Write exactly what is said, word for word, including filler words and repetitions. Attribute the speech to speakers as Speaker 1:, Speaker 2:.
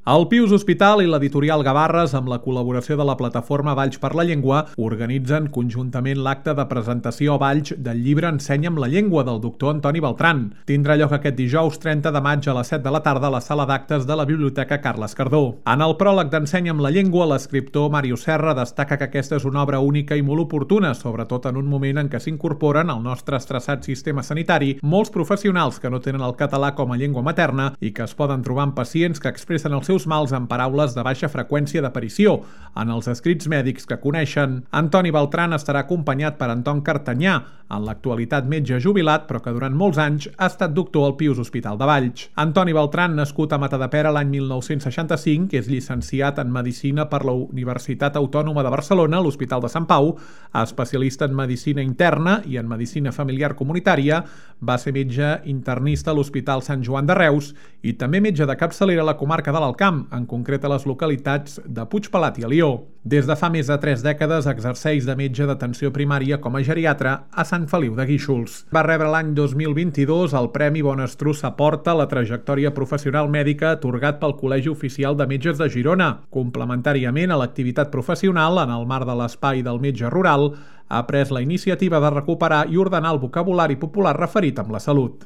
Speaker 1: El Pius Hospital i l'editorial Gavarres, amb la col·laboració de la plataforma Valls per la Llengua, organitzen conjuntament l'acte de presentació a Valls del llibre Ensenya'm la llengua del doctor Antoni Beltran. Tindrà lloc aquest dijous trenta de maig a les set de la tarda a la sala d'actes de la Biblioteca Carles Cardó. En el pròleg d'Ensenya'm la llengua, l'escriptor Màrius Serra destaca que aquesta és una obra única i molt oportuna, sobretot en un moment en què s'incorporen al nostre estressat sistema sanitari molts professionals que no tenen el català com a llengua materna i que es poden trobar amb pacients que expressen els seus mals en paraules de baixa freqüència d'aparició en els escrits mèdics que coneixen. Antoni Beltran estarà acompanyat per Anton Cartanyà, en l'actualitat metge jubilat, però que durant molts anys ha estat doctor al Pius Hospital de Valls. Antoni Beltran, nascut a Matadepera l'any mil nou-cents seixanta-cinc, és llicenciat en Medicina per la Universitat Autònoma de Barcelona, a l'Hospital de Sant Pau, especialista en Medicina Interna i en Medicina Familiar Comunitària, va ser metge internista a l'Hospital Sant Joan de Reus i també metge de capçalera a la comarca de l'Alcamp, en concret a les localitats de Puigpelat i Alió. Des de fa més de tres dècades exerceix de metge d'atenció primària com a geriatre a Sant Feliu de Guíxols. Va rebre l'any dos mil vint-i-dos el Premi Bonestrussa Porta a la trajectòria professional mèdica atorgat pel Col·legi Oficial de Metges de Girona. Complementàriament a l'activitat professional, en el marc de l'Espai del Metge Rural, ha pres la iniciativa de recuperar i ordenar el vocabulari popular referit amb la salut.